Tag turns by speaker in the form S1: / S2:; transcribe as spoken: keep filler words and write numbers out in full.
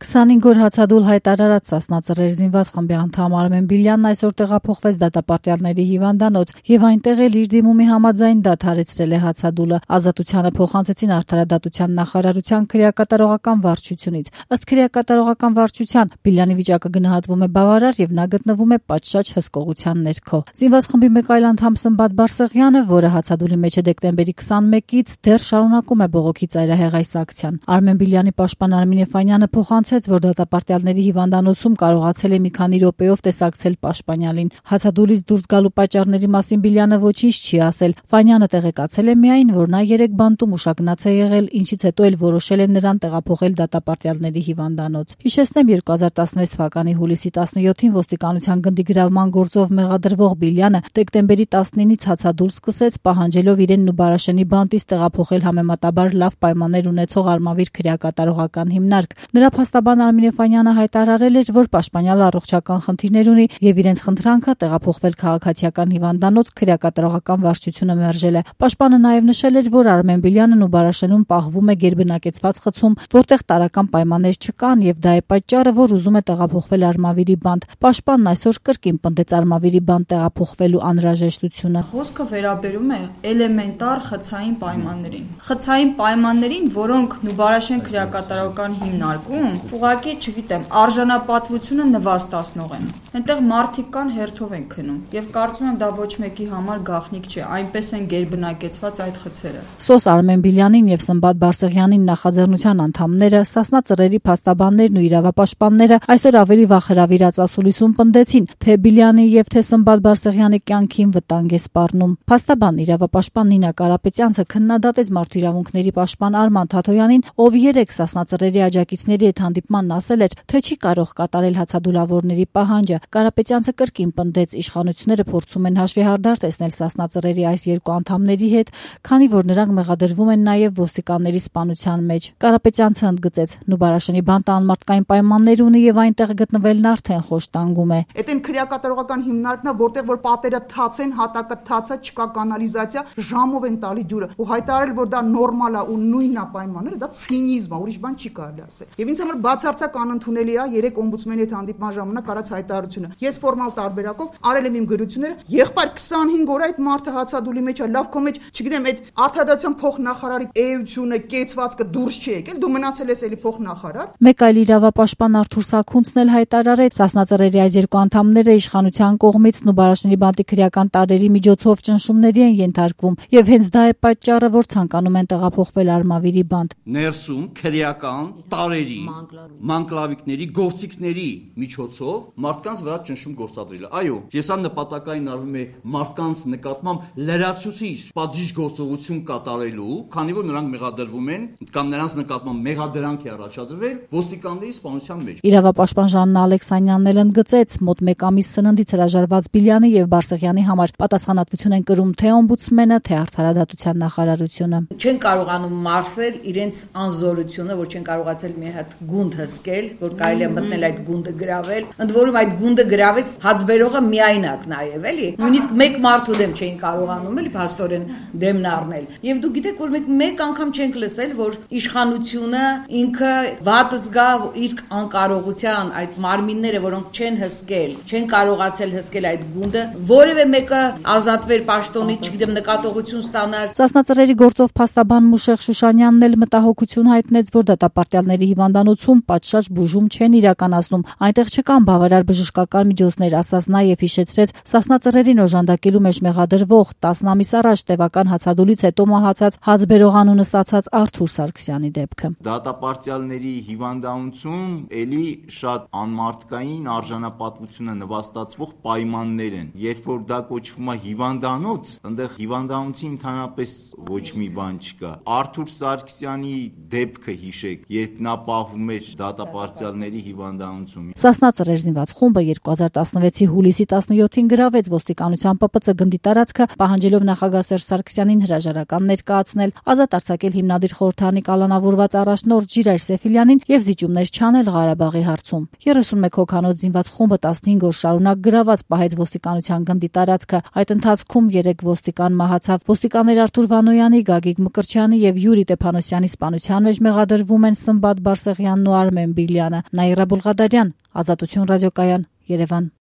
S1: քսանհինգ օր հացադուլ հայտարարած Սասնա Ծռեր զինված խմբի անդամ Արմեն Բիլյանն այսօր տեղափոխվեց դատապարտյալների հիվանդանոց եւ այնտեղ էլ իր դիմումի համաձայն դադարեցրել է հացադուլը։ Ազատությանը փոխանցեցին Արդարադատության նախարարության քրեակատարողական վարչությունից։ Ըստ քրեակատարողական վարչության Բիլյանի վիճակը գնահատվում է բավարար եւ նա գտնվում է պատշաճ հսկողության ներքո։ Զինված խմբի մեկ այլ անդամ Սմբատ Բարսեղյանը, որը հացադուլի մեջ է դեկտեմբերի քսանմեկից, դեռ շարունակում է բողոքի ծայրահեղ այս ակցիան։ Արմեն Բիլյանի պաշտպան Արմին Էֆանյանը փոխանցեց, որ դատապարտյալների հիվանդանոցում կարողացել է մի քանի րոպեով տեսակցել պաշտպանյալին։ Հացադուլից դուրս գալու պատճառների մասին Բիլյանը ոչինչ չի ասել։ Ֆանյանը տեղեկացել է միայն, որ նա երեք բանտում ուշագնաց է եղել, ինչից հետո էլ որոշել է նրան տեղափոխել դատապարտյալների հիվանդանոց։ Հիշեցնեմ, երկու հազար տասնվեց թվականի հուլիսի տասնյոթին ոստիկանության գնդի գրավման գործով մեղադրվող Բիլյանը դեկտեմբերի տասնինից հացադուլ սկսեց, պահանջելով իրեն Նուբարաշենի բանտից տեղափոխել համեմատաբար լավ պայմաններ ունեցող Արմավիր քրեակատարողական հիմնարկ։ Նրա փաստաբան Արմին Էֆանյանը հայտարարել էր, որ պաշտպանյալը առողջական խնդիրներ ունի եւ իրենց խնդրանքը տեղափոխվել քաղաքացիական հիվանդանոց քրեակատարողական վարչությունը մերժել է։ Պաշտպանը նաեւ նշել էր, որ Արմեն Բիլյանը Նուբարաշենում պահվում է գերբնակեցված խցում, որտեղ տարրական պայմաններ չկան եւ դա է պատճառը, որ ուզում է տեղափոխվել Արմավիրի բանտ։ Պաշտպանն այսօր կրկին պնդեց Արմավիրի բանտ տեղափոխվելու անհրաժեշտությունը։
S2: Խոսքը վերաբերում է էլեմենտար խցային պայմաններին։ Խցային պայմաններին, որոնք Նուբարաշեն քրեակատարողական հիմնարկում ուղղակի, չգիտեմ, արժանապատվությունը նվաստացնող են։ Այնտեղ մարդիկ կան, հերթով են քնում եւ կարծում եմ դա ոչ մեկի համար գաղտնիք չէ, այնպես են գերբնակեցված այդ խցերը։
S1: Սոս Արմեն Բիլյանին եւ Սմբատ Բարսեղյանին նախաձեռնության անդամները, Սասնա Ծռերի փաստաբաններն ու իրավապաշտպանները այսօր ավելի վախհրավիրած ասուլիսում պնդեցին, թե Բիլյանի եւ թե Սմբատ Բարսեղյանի կյանքին վտանգ է սպառնում։ Փաստաբան իրավապաշտպան Նինա Կարապետյանցը քննադատեց մարդու իրավունքների պաշտպան Արման Թաթոյանին, ով երեք Սասնա Ծռերի աջակիցների հետ հանդիպմանն ասել էր, թե չի կարող կատարել հացադուլավորների պահանջը։ Կարապետյանցը կրկին պնդեց, իշխանությունները փորձում են հաշվեհարդար տեսնել Սասնա Ծռերի այս երկու անդամների հետ, քանի որ նրանք մեղադրվում են նաեւ ոստիկանների սպանության մեջ։ Կարապետյանցը ընդգծեց, Նուբարաշենի բանտը անմարդկային պայմաններ ունի եւ այնտեղ գտնվելն արդեն խոշտանգում է։
S3: Այդ են քրեակատարողական հիմնարկն է, որտեղ որ պատերը թաց են, հատակը թաց է, չկա կանալիզացիա, ժամով են տալի ջուրը։ Ու հայտարարել, որ դա նորմալ է ու նույնն է պայմանները, դա ցինիզմ է, ուրիշ բան չի կարելի ասել։ Եվ ինձ համար բացարձակ անընդունելի է երեք օմբուդսմենի հետ հանդիպման ժամանակ արած հայտարարությունը։ Ես ֆորմալ տարբերակով արել եմ իմ գրությունները, եղբայր քսանհինգ օր այդ մարդը հացադուլի մեջ է, լավ քո մեջ, չգիտեմ, այդ Արդարադատության փոխնախարարի էությունը, կեցվածքը դուրս չի եկել, դու մնացել ես էլի փոխնախարար։
S1: Մեկ այլ իրավապաշտպան Արթուր Սաքունցն էլ հայտարարեց, Սասնա Ծռերի այս երկու անդամները իշխանության կողմից Նուբարաշենի բանտի քրեական տարրերի միջոցով ճնշումների են ենթարկվում եւ հենց դա է պատճառը, որ ցանկանում են տեղափոխվել Արմավիրի բանտ։
S4: Ներսում քրեական տարրերի, մանկլավիկների, գործիքների միջոցով մարդկանց վրա ճնշում գործադրելը։ Այո, ես ան նպատակային արվում է մարդկանց նկատմամբ լրացուցիչ պատժիչ գործողություն կատարելու, քանի որ նրանք մեղադրվում են կամ նրանց նկատմամբ մեղադրանք է առաջադրվել ոստիկանների սպանության մեջ։
S1: Իրավապաշտպան Ժաննա Ալեքսանյանն էլ ընդգծեց, մոտ մեկ ամիս սննդից հրաժարված Բիլյանի եւ Բարսեղյանի համար պատասխանատվություն են կրում թե օմբուդսմենը, թե Արդարադատության նախարարությունը։
S5: Չեն կարողանում մարսել իրենց անզորությունը, որ չեն կարողացել մի հատ գունդ հսկել, որ կարելի է մտնել այդ գունդը գրավել։ Ընդ որում այդ գունդը գրավեց հացբերողը միայնակ նաեւ, էլի։ Նույնիսկ մեկ մարդու դեմ չէին կարողանում, էլի, փաստորեն դեմն առնել։ Եվ դու գիտեք, որ մենք մեկ անգամ չենք լսել, որ իշխանությունը ինքը վատ զգա իր անկարողության, այդ մարմինները, որոնք չեն հսկել, չեն կարողացել հսկել այդ գունդը, որևէ մեկը ազատվեր պաշտոնից, չգիտեմ, նկատողություն ստանալ։
S1: Սասնա Ծռերի գործով փաստաբան Մուշեղ Շուշանյանն էլ մտահոգություն հայտնեց, որ դատապարտյալների հիվանդանոցում պատշաճ բուժում չեն իրականացնում, այնտեղ չկան բավարար բժշկական միջոցներ, ասաց նաեւ հիշեցրեց Սասնա Ծռերին օժանդակելու մեջ մեղադրվող տասն ամիս առաջ տևական հացադուլից հետո մահացած հացբերող անունը ստացած Արթուր Սարգսյանի դեպքը։
S6: Դատապարտյալների հիվանդանոցում էլի շատ անմարդկային արժանապատվությունը նվաստացվող պայմաններ են։ Երբ որ դա կոչվում է հիվանդանոց, այնտեղ հիվանդանոցի ընդհանրապես ոչ մի բան չկա։ Արթուր Սարգսյանի դեպքը հիշեք, երբ նա պահվում էր դատապարտյալների հիվանդանոցում։
S1: Սասնա Ծռեր զինված խումբը երկու հազար տասնվեցի հուլիսի տասնյոթին գրավեց ոստիկանության Պ Պ Ց գնդի տարածքը, պահանջելով նախագահ Սերժ Սարգսյանին հրաժարական ներկայացնել, ազատ արձակել հիմնադիր խորհրդարանի կալանավորված առաջնորդ Ժիրայր Սեֆիլյանին եւ զիջումներ չանել Ղարաբաղի հարցում։ երեսունմեկ հոգանոց զինված խումբը տասնհինգ օր շարունակ գրաված պահեց ոստիկանության գնդի տարածքը։ Այդ ընթացքում երեք ոստիկան մահացավ։ Ոստիկաններ Արթուր Վանոյանի, Գագիկ Մկրտչյանի եւ Յուրի Տեփանոսյանի սպանության մեջ մեղադրվում են Սմբատ Բարսեղյանն ու Արմեն Բիլյանը, Նաիրա Բուլղադարյան, Ազատություն ռադիոկայան, Երևան։